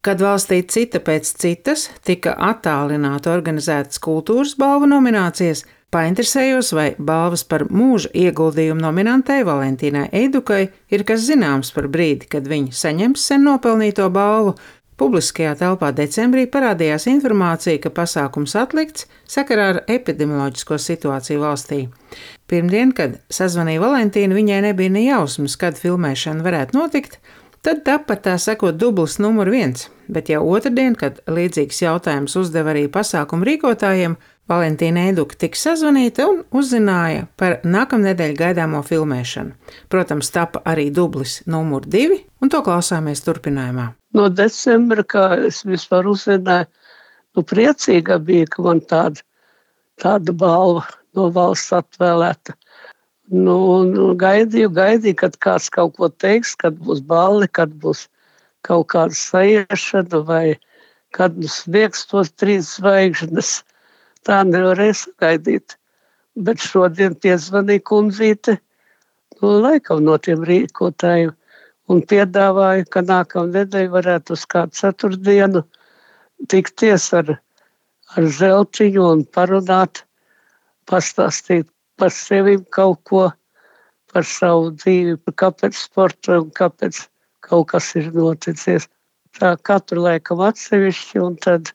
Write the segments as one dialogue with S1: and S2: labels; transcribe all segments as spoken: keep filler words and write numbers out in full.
S1: Kad valstī cita pēc citas tika attālināti organizētas kultūras balvu nominācijas, painteresējos, vai balvas par mūža ieguldījumu nominantei Valentīnai Eidukai ir kas zināms par brīdi, kad viņa saņems sen nopelnīto balvu. Publiskajā telpā decembrī parādījās informācija, ka pasākums atlikts sakarā ar epidemioloģisko situāciju valstī. Pirmdien, kad sazvanīja Valentīnu, viņai nebija ne jausmas, kad filmēšana varētu notikt, tad tapa tā sakot dublis numur viens, bet jau otrdien, kad līdzīgs jautājums uzdeva arī pasākumu rīkotājiem, Valentīna Eiduka tika sazvanīta un uzzināja par nākamnedēļ gaidāmo filmēšanu. Protams, tapa arī dublis numur divi, un to klausāmies turpinājumā.
S2: No decembra, kā es vispār uzzināju, nu priecīga bija, ka man tāda, tāda balva no valsts atvēlēta. Nu, nu gaidīju, gaidīju, kad kāds kaut ko teiks, kad būs balli, kad būs kaut kāda sajiešana vai kad mums sniegs tos trīs zvaigžnes. Tā nevarēja sagaidīt. Bet šodien piezvanīja kundzīte, nu, laikam no tiem rīkotājiem, un piedāvāja, ka nākamā nedēļa varētu uz kādu ceturtdienu tikties ar, ar Zeltiņu un parunāt, pastāstīt par sevi kaut ko, par savu dzīvi, kāpēc sporta un kāpēc kaut kas ir noticies. Tā katru laikam atsevišķi, un tad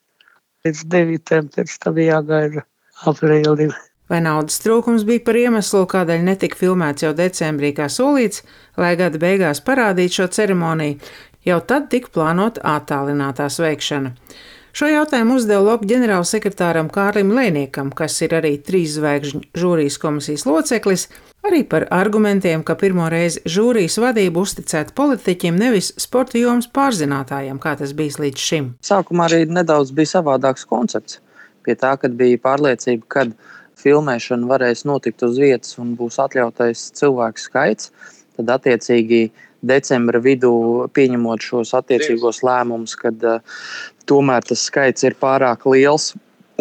S2: līdz devītiem pēc tam jāgaida aprīlim.
S1: Vai naudas trūkums bija par iemeslu, kādēļ netika filmēts jau decembrī kā solīts, lai gada beigās parādītu šo ceremoniju, jau tad tika plānota attālinātā veikšana. Šo jautājumu uzdeva L O P ģenerālsekretāram Kārlim Lēniekam, kas ir arī trīs zvaigžņu žūrijas komisijas loceklis, arī par argumentiem, ka pirmo reizi žūrijas vadību uzticēt politiķiem, nevis sporta jomas pārzinātājiem, kā tas bijis līdz šim.
S3: Sākumā arī nedaudz bija savādāks koncepts. Pie tā, kad bija pārliecība, kad filmēšana varēs notikt uz vietas un būs atļautais cilvēku skaits, tad attiecīgi decembra vidū pieņemot šos attiecīgos lēmumus, kad uh, tomēr tas skaits ir pārāk liels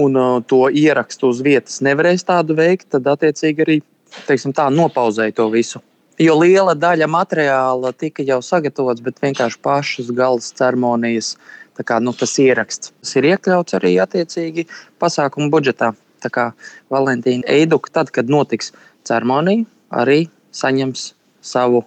S3: un uh, to ierakstu uz vietas nevarēs tādu veikt, tad attiecīgi arī, teiksim tā, nopauzēja to visu. Jo liela daļa materiāla tika jau sagatavots, bet vienkārši pašas galas ceremonijas, tā kā, nu, tas ieraksts. Tas ir iekļauts arī attiecīgi pasākumu budžetā. Tā kā Valentīna Eiduka, tad, kad notiks ceremonija, arī saņems savu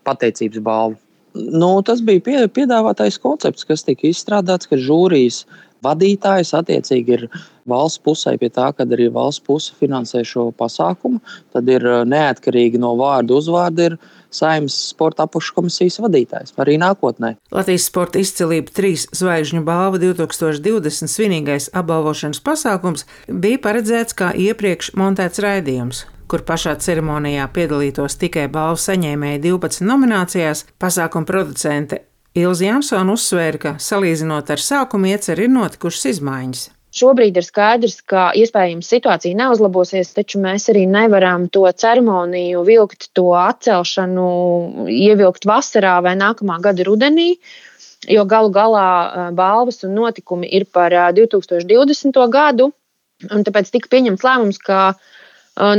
S3: pateicības balvu. Nu, tas bija pie, piedāvātais koncepts, kas tika izstrādāts, ka žūrijas vadītājs attiecīgi ir valsts pusē pie tā, kad arī valsts puse finansē šo pasākumu, tad ir neatkarīgi no vārdu uzvārdu ir Saeimas sporta apakškomisijas vadītājs arī nākotnē.
S1: Latvijas sporta izcilība trīs zvaigžņu balva divtūkstoš divdesmit svinīgais apbalvošanas pasākums bija paredzēts kā iepriekš montēts raidījums, kur pašā ceremonijā piedalītos tikai balvu saņēmēji divpadsmit nominācijās. Pasākuma producente Ilze Jansone uzsvēra, ka salīdzinot ar sākumu ieceru ir notikušas izmaiņas.
S4: Šobrīd ir skaidrs, ka iespējams situācija neuzlabosies, taču mēs arī nevaram to ceremoniju vilkt, to atcelšanu, ievilkt vasarā vai nākamā gada rudenī, jo galu galā balvas un notikumi ir par divtūkstoš divdesmito gadu, un tāpēc tika pieņemts lēmums, ka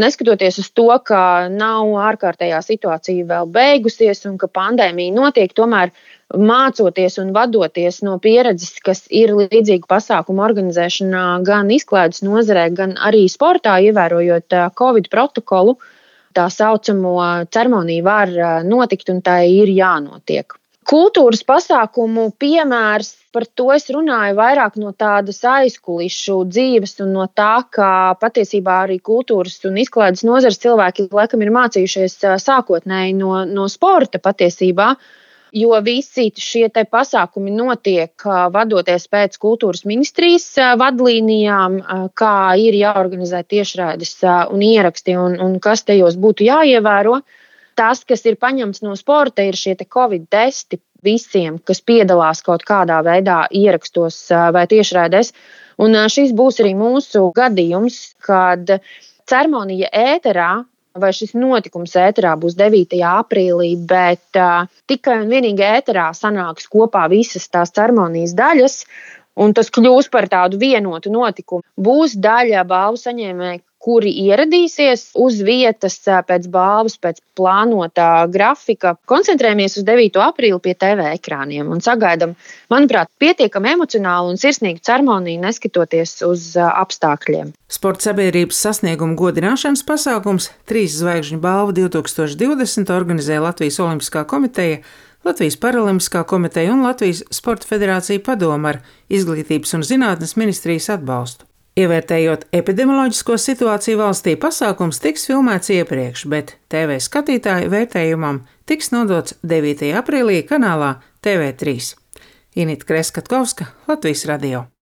S4: neskatoties uz to, ka nav ārkārtējā situācija vēl beigusies un ka pandēmija notiek, tomēr mācoties un vadoties no pieredzes, kas ir līdzīgu pasākumu organizēšanā gan izklaides nozarē, gan arī sportā, ievērojot Covid protokolu, tā saucamo ceremoniju var notikt un tā ir jānotiek. Kultūras pasākumu piemērs, par to es runāju vairāk no tādas aizkulišu dzīves un no tā, ka patiesībā arī kultūras un izklaides nozares cilvēki laikam ir mācījušies sākotnēji no, no sporta patiesībā, jo visi šie te pasākumi notiek vadoties pēc kultūras ministrijas vadlīnijām, kā ir jāorganizē tiešraides un ieraksti un, un kas tajos būtu jāievēro. Tas, kas ir paņemts no sporta, ir šie te Covid testi visiem, kas piedalās kaut kādā veidā ierakstos vai tiešraidēs. Un šis būs arī mūsu gadījums, kad ceremonija ēterā vai šis notikums ēterā būs devītajā aprīlī, bet uh, tikai un vienīgi ēterā sanāks kopā visas tās ceremonijas daļas, un tas kļūs par tādu vienotu notikumu. Būs daļa balvu saņēmēju, kuri ieradīsies uz vietas pēc balvas, pēc plānotā grafika. Koncentrējamies uz devīto aprīli pie T V ekrāniem un sagaidām, manuprāt, pietiekami emocionālu un sirsnīgu ceremoniju, neskatoties uz apstākļiem.
S1: Sporta sabiedrības sasniegumu godināšanas pasākums Trīs zvaigžņu balvu divtūkstoš divdesmit organizē Latvijas Olimpiskā komiteja, Latvijas Paralimpiskā komiteja un Latvijas Sporta federācija padome ar Izglītības un zinātnes ministrijas atbalstu. Ievērtējot epidemioloģisko situāciju valstī, pasākums tiks filmēts iepriekš, bet T V skatītāju vērtējumam tiks nodots devītajā aprīlī kanālā T V trīs. Inita Kreskatkovska, Latvijas radio.